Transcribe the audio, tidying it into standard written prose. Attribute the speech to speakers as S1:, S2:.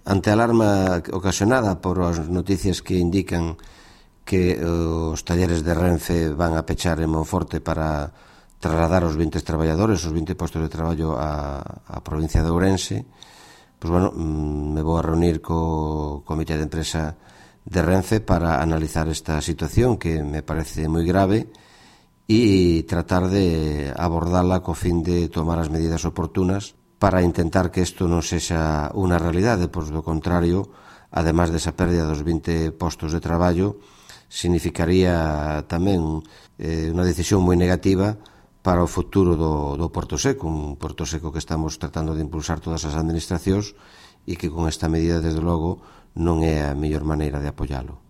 S1: ante a alarma ocasionada por as noticias que indican que os talleres de Renfe van a pechar en Monforte para trasladar os 20 traballadores, os 20 postos de traballo á provincia de Ourense, pois, bueno, me vou a reunir co comité de empresa de Renfe para analizar esta situación que me parece moi grave e tratar de abordala co fin de tomar as medidas oportunas para intentar que isto non sexa unha realidade, pois do contrario, ademais desa pérdida dos 20 postos de traballo, significaría tamén unha decisión moi negativa para o futuro do Porto Seco, un Porto Seco que estamos tratando de impulsar todas as administracións e que con esta medida, desde logo, non é a mellor maneira de apoialo.